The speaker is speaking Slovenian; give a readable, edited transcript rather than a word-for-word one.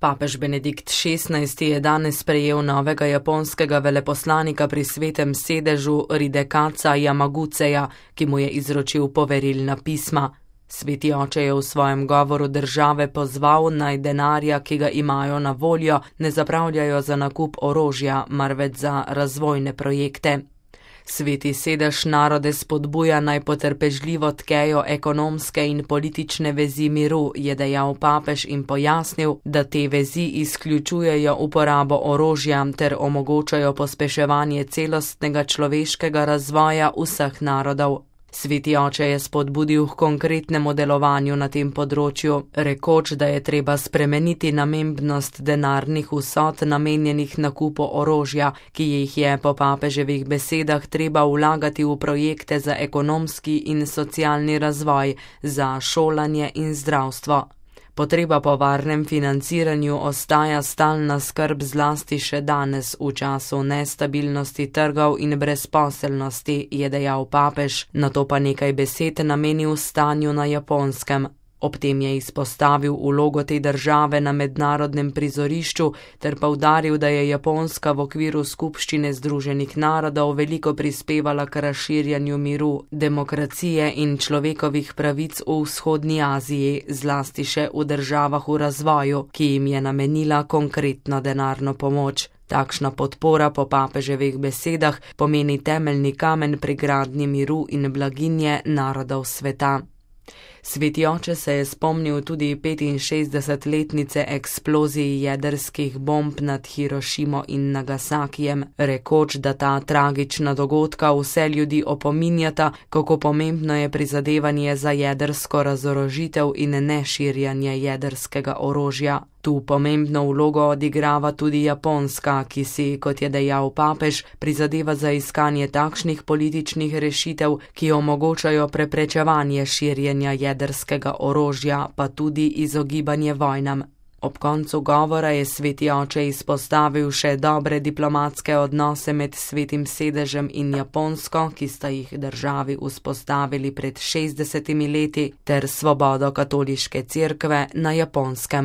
Papež Benedikt XVI je danes sprejel novega japonskega veleposlanika pri Svetem sedežu Hidekatsa Yamagucheja, ki mu je izročil poverilna pisma. Sveti oče je v svojem govoru države pozval, naj denarja, ki ga imajo na voljo, ne zapravljajo za nakup orožja, marveč za razvojne projekte. Sveti sedež narode spodbuja, naj potrpežljivo tkejo ekonomske in politične vezi miru, je dejal papež in pojasnil, da te vezi izključujejo uporabo orožja ter omogočajo pospeševanje celostnega človeškega razvoja vseh narodov. Sveti oče je spodbudil k konkretnemu delovanju na tem področju, rekoč, da je treba spremeniti namembnost denarnih vsot namenjenih nakupu orožja, ki jih je po papeževih besedah treba vlagati v projekte za ekonomski in socialni razvoj, za šolanje in zdravstvo. Potreba po varnem financiranju ostaja stalna skrb zlasti še danes v času nestabilnosti trgov in brezposelnosti, je dejal papež, nato pa nekaj besed namenil stanju na Japonskem. Ob tem je izpostavil vlogo te države na mednarodnem prizorišču ter poudaril, da je Japonska v okviru skupščine Združenih narodov veliko prispevala k razširjanju miru, demokracije in človekovih pravic v vzhodni Aziji, zlasti še v državah v razvoju, ki jim je namenila konkretno denarno pomoč. Takšna podpora po papeževih besedah pomeni temeljni kamen pri gradnji miru in blaginje narodov sveta. Sveti oče se je spomnil tudi 65-letnice eksploziji jedrskih bomb nad Hirošimo in Nagasakijem, rekoč, da ta tragična dogodka vse ljudi opominjata, kako pomembno je prizadevanje za jedrsko razorožitev in neširjanje jedrskega orožja. Tu pomembno vlogo odigrava tudi Japonska, ki si, kot je dejal papež, prizadeva za iskanje takšnih političnih rešitev, ki omogočajo preprečevanje širjenja jedrskega orožja, pa tudi izogibanje vojnam. Ob koncu govora je sveti oče izpostavil še dobre diplomatske odnose med Svetim sedežem in Japonsko, ki sta jih državi vzpostavili pred 60 leti, ter svobodo katoliške cerkve na Japonskem.